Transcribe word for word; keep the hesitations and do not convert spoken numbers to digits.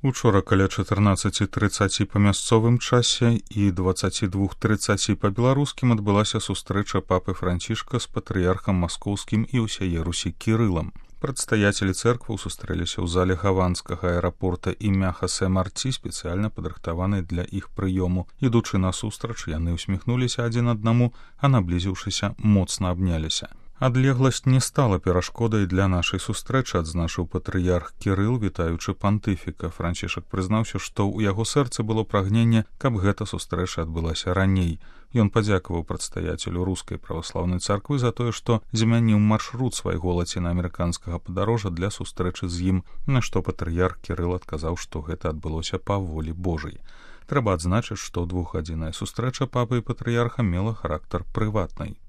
Учора каля чатырнаццаці трыццаці па мясцовым часе і дваццаці двух трыццаці па беларускім адбылася сустрэча папы Францішка з патрыярхам маскоўскім і ўсяе Русі Кірылам. Прадстаяцелі цэркваў сустрэліся ў зале гаванскага аэрапорта імя Хосе Марці, спецыяльна падрыхтаванай для іх прыёму. Ідучы насустрач, яны усміхнуліся адзін аднаму, а наблізіўшыся, моцна абняліся. Адлегласць не стала перашкодай для нашай сустрэчы, адзначыў патрыярх Кірыл, вітаючы пантыфіка. Францішак прызнаўся, што ў яго сэрцы было прагненне, каб гэта сустрэча адбылася раней. Ён падзякаваў прадстаяцелю рускай праваслаўнай царквы за тое, што змяніў маршрут свайго лацінаамерыканскага падарожжа для сустрэчы з ім, на што патрыярх Кірыл адказаў, што гэта адбылося па волі Божай. Трэба адзначыць, што двухгадзінная сустрэча папы і патрыярха мела характар прыватнай.